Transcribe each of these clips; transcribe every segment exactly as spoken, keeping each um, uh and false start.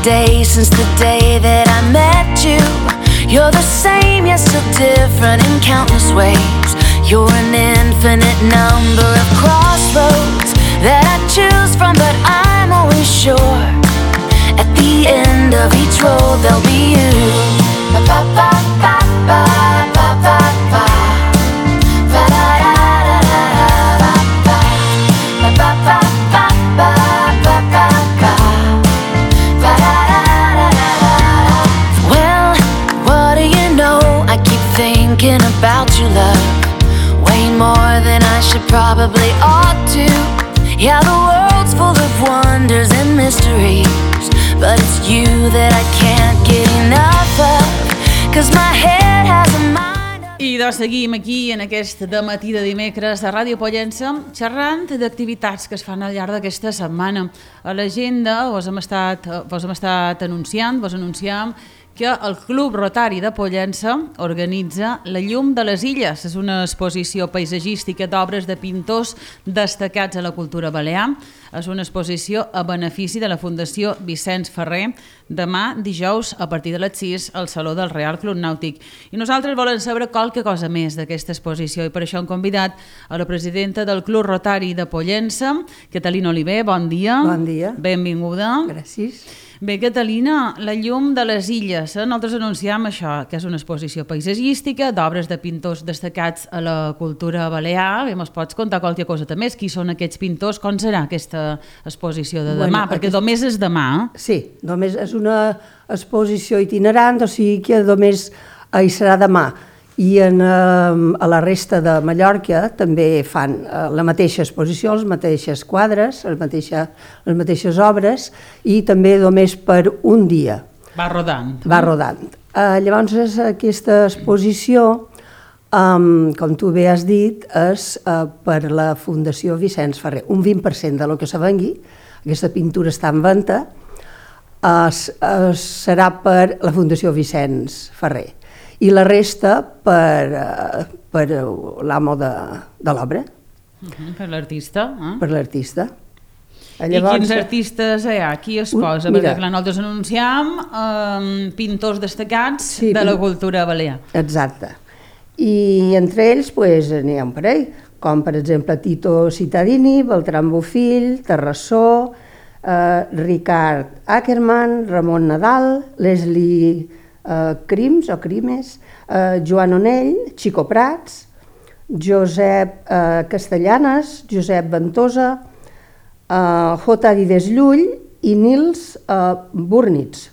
day since the day that I met you. You're the same, yet still different in countless ways. You're an infinite number of crossroads that I choose from, but I'm always sure at the end of each road there'll be you. Ba ba ba ba ba ba ba ba. Ba da da da da da ba. Ba ba ba ba ba ba ba ba. Ba da da da da da. Well, what do you know? I keep thinking about you, love, way more than I should probably ought to. Yeah, the world's full of wonders and mysteries, but it's you that I can't get enough of, 'cause my head has a mind of... I doncs seguim aquí en aquest dematí de dimecres de Ràdio Pollença xerrant d'activitats que es fan al llarg d'aquesta setmana. A l'agenda vos hem estat, vos hem estat anunciant, vos anunciam que el Club Rotari de Pollença organitza La llum de les illes. És una exposició paisatgística d'obres de pintors destacats a la cultura balear. És una exposició a benefici de la Fundació Vicenç Ferrer, demà dijous a partir de les sis al Saló del Real Club Nàutic. I nosaltres volem saber qualque cosa més d'aquesta exposició i per això hem convidat a la presidenta del Club Rotari de Pollença, Catalina Oliver. Bon dia. Bon dia. Benvinguda. Gràcies. Bé, Catalina, La llum de les illes. Nosaltres anunciam això, que és una exposició paisatgística d'obres de pintors destacats a la cultura balear. Bé, mos pots contar qualque cosa més? Qui són aquests pintors? Com serà aquesta exposició de demà? Bueno, perquè aquest... només és demà. Eh? Sí, només és una exposició itinerant, o sigui que només hi serà demà. I en, eh, a la resta de Mallorca també fan eh, la mateixa exposició, les mateixes quadres, les, mateixa, les mateixes obres, i també només per un dia. Va rodant. Va rodant. Eh, llavors aquesta exposició, um, com tu bé has dit, és uh, per la Fundació Vicenç Ferrer. Un vint per cent de lo que se vengui, aquesta pintura està en venda, uh, uh, serà per la Fundació Vicenç Ferrer. I la resta per, uh, per l'amo de, de l'obra. Uh-huh, per l'artista. Eh? Per l'artista. Llavors, i quins artistes hi ha? Qui es posa? Mira, perquè clar, nosaltres anunciam um, pintors destacats sí, de la cultura balear. Exacte. I entre ells pues, n'hi ha un parell, com per exemple Tito Cittadini, Beltrán Bofill, Terrassó, eh, Ricard Ackerman, Ramon Nadal, Leslie eh, Crims o Crimes, eh, Joan Onell, Chico Prats, Josep eh, Castellanes, Josep Ventosa, Uh, J. Dides Llull i Nils uh, Burnitz.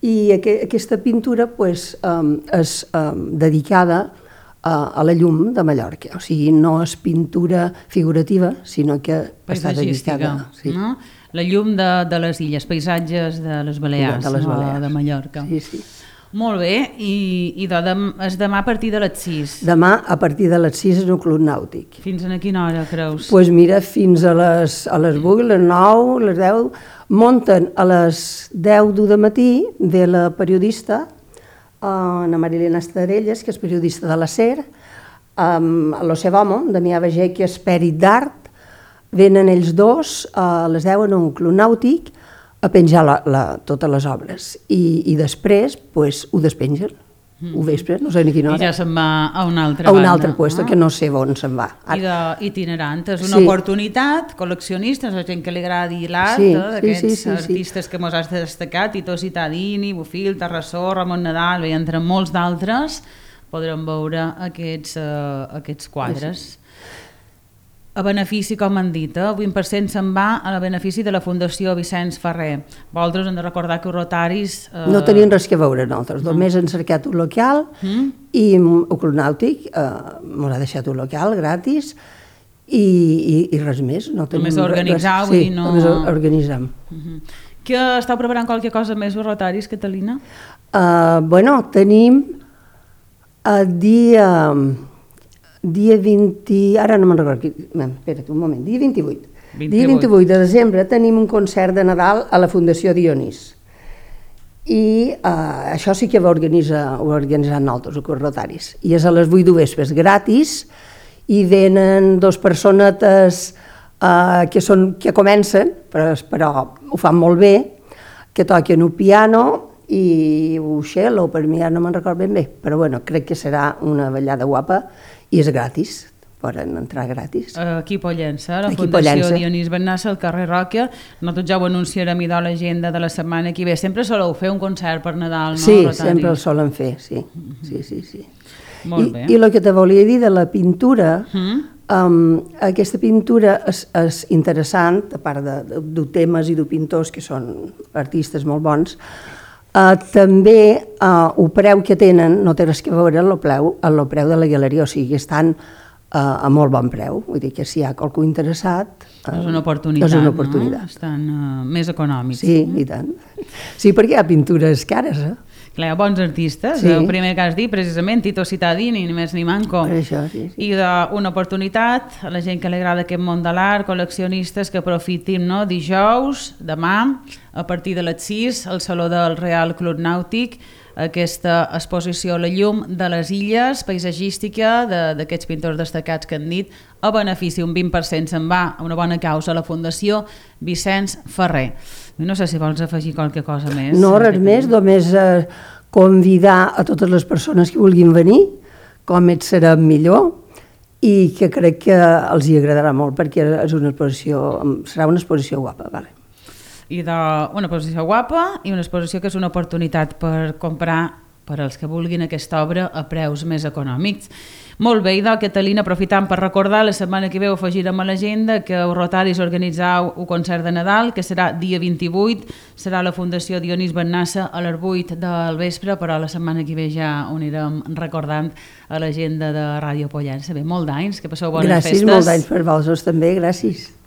I aqu aquesta pintura pues, um, és um, dedicada uh, a la llum de Mallorca, o sigui, no és pintura figurativa, sinó que està dedicada... Sí. No? La llum de, de les illes, paisatges de les Balears, de, les Balears. No? De Mallorca. Sí, sí. Molt bé, i, i de, és demà a partir de les sis. Demà a partir de les sis és un club nàutic. Fins a quina hora, creus? Doncs pues mira, fins a les, a les vuit, les nou, les deu, munten a les deu de matí de la periodista, Ana Marilena Estarelles, que és periodista de la SER, amb el seu home, Damià Bagé, que és pèrit d'art, venen ells dos a les deu en un club nàutic a penjar la, la, totes les obres i, i després pues, ho despengen, mm. ho vespre, no sé ni quina hora. I ja se'n va a una altra a banda. A un altre lloc, ah. que no sé on se'n va. I d'itinerant, és una sí. oportunitat, col·leccionistes, la gent que li agradi l'art, sí, eh, d'aquests sí, sí, sí, artistes sí. que mos has destacat, Tito Cittadini, Bofill, Terrassó, Ramon Nadal, bé, entre molts d'altres, podrem veure aquests, uh, aquests quadres. Sí, sí. A benefici, com han dit, eh? vint per cent se'n va a benefici de la Fundació Vicenç Ferrer. Vosaltres hem de recordar que els rotaris... Eh... No tenien res que veure nosaltres, no. Només hem cercat un local mm. i el Club Nàutic eh, ens ha deixat un local gratis i, i, i res més. No només organitzar, vull dir, sí, no... només organitzem. Uh -huh. Que esteu preparant qualque cosa més els rotaris, Catalina? Uh, bueno, tenim el dia... dia vint... ara no me'n recordo, espera't un moment, dia vint-i-vuit. vint-i-vuit. Dia vint-i-vuit de desembre tenim un concert de Nadal a la Fundació Dionís. I uh, això sí que ho organitza, ho organitzem nosaltres, els rotaris. I és a les vuit de vespres, gratis, i venen dos personetes uh, que, són, que comencen, però, però ho fan molt bé, que toquen un piano i un cello, per mi ja no me'n recordo ben bé, però bueno, crec que serà una ballada guapa i és gratis, poden entrar gratis. Aquí a Pollença, la Aquí Fundació Pollença. Dionís Bennassa, al carrer Ròquia. Nosaltres ja ho anunciarem i de l'agenda de la setmana que ve. Sempre soleu fer un concert per Nadal, no, Sí, Rotari? sempre el solen fer, sí. sí, sí, sí. Molt I, bé. I el que te volia dir de la pintura, Mm? um, aquesta pintura és, és interessant, a part de, de, de temes i de pintors que són artistes molt bons, uh, també uh, el preu que tenen no té res que veure amb el preu, amb el preu de la galeria, o sigui, estan uh, a molt bon preu, vull dir que si hi ha qualcú interessat... Uh, És una oportunitat, és una oportunitat. no? Estan uh, més econòmics. Sí, i tant. Sí, perquè hi ha pintures cares, eh? Clar, hi ha bons artistes. Sí. El primer que has dit, precisament, Tito Cittadini, ni més ni manco. Per això, sí, sí. I d'una oportunitat a la gent que li agrada aquest món de l'art, col·leccionistes que aprofitin, no? Dijous, demà, a partir de les sis, al Saló del Real Club Nàutic, aquesta exposició La llum de les illes, paisatgística d'aquests pintors destacats que han dit, a benefici, un vint per cent se'n va a una bona causa, a la Fundació Vicenç Ferrer. No sé si vols afegir qualque cosa més. No, res més, només eh, convidar a totes les persones que vulguin venir, com et serà millor, i que crec que els hi agradarà molt, perquè és una exposició, serà una exposició guapa, vale. I d'una exposició guapa i una exposició que és una oportunitat per comprar per als que vulguin aquesta obra a preus més econòmics. Molt bé, idò, Catalina, aprofitant per recordar, la setmana que ve ho afegirem a l'agenda que els Rotaris organitzau un concert de Nadal, que serà dia vint-i-vuit, serà la Fundació Dionís Bennassa a les vuit del vespre, però la setmana que ve ja ho anirem recordant a l'agenda de Ràdio Pollença. Bé, molt d'anys, que passeu bones gràcies, festes. Gràcies, molt d'anys per vosaltres també, gràcies.